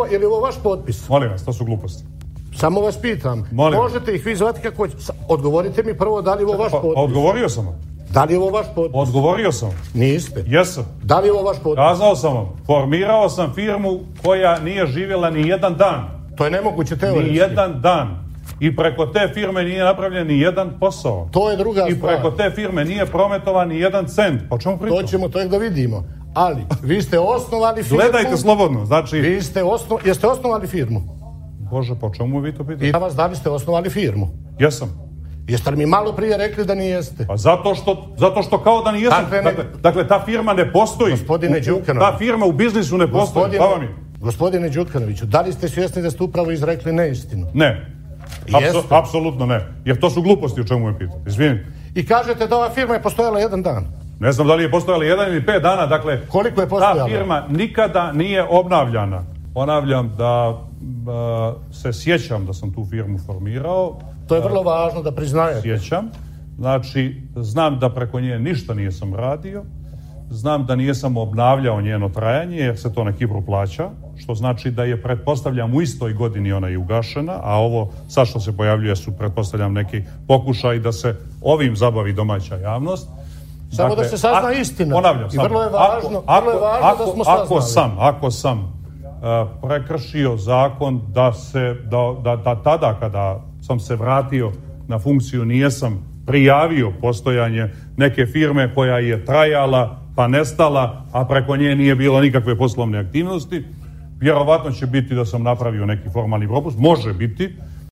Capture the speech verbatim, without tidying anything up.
Je li ovo vaš potpis? Molim vas, to su gluposti. Samo vas pitam. Molim. Možete ih vi zvati kako hoćete. Odgovorite mi prvo da li je ovo vaš Pa, potpis. odgovorio sam vam. Da li je ovo vaš potpis? Odgovorio sam. Niste. Jesam. Da li je ovo vaš potpis? Kazao sam vam. Formirao sam firmu koja nije živjela ni jedan dan. To je nemoguće teoretski. Ni jedan dan. I preko te firme nije napravljen ni jedan posao. To je druga I stvar. preko te firme nije prometovan ni jedan cent. Pa o čemu pričam? To ćemo to da vidimo. Ali, vi ste osnovali firmu... Gledajte slobodno, znači... Vi ste osno... Jeste osnovali firmu? Bože, po čemu vi to pitate? I da vas da li ste osnovali firmu? Jesam. Jeste li mi malo prije rekli da nijeste? Pa zato što, zato što kao da nijesam. Dakle, ne- Dakle, dakle, ta firma ne postoji. Gospodine U- Đukanović. Ta firma u biznisu ne postoji. Gospodine, Hvala mi. gospodine Đukanoviću, da li ste svjesni da ste upravo izrekli neistinu? Ne. Jeste. Apso- apsolutno ne. Jer to su gluposti o čemu me pitate. Izvinim. I kažete da ova firma je postojala jedan dan. Ne znam da li je postojala jedan ili pet dana, dakle... Koliko je Ta postojala? firma nikada nije obnavljana. Ponavljam da a, se sjećam da sam tu firmu formirao. To je vrlo važno da priznajete. Sjećam. Znači, znam da preko nje ništa nisam radio. Znam da nisam obnavljao njeno trajanje jer se to na Kipru plaća. Što znači da je, pretpostavljam, u istoj godini ona i ugašena. A ovo sad što se pojavljuje su, pretpostavljam, neki pokušaj da se ovim zabavi domaća javnost. Samo da se sazna istina. Ponavljam, I samo. vrlo je važno, Ako, vrlo je važno ako, da smo ako saznali. sam, ako sam uh, prekršio zakon da se, da, da, da tada kada sam se vratio na funkciju nijesam prijavio postojanje neke firme koja je trajala pa nestala, a preko nje nije bilo nikakve poslovne aktivnosti, vjerovatno će biti da sam napravio neki formalni propust, može biti,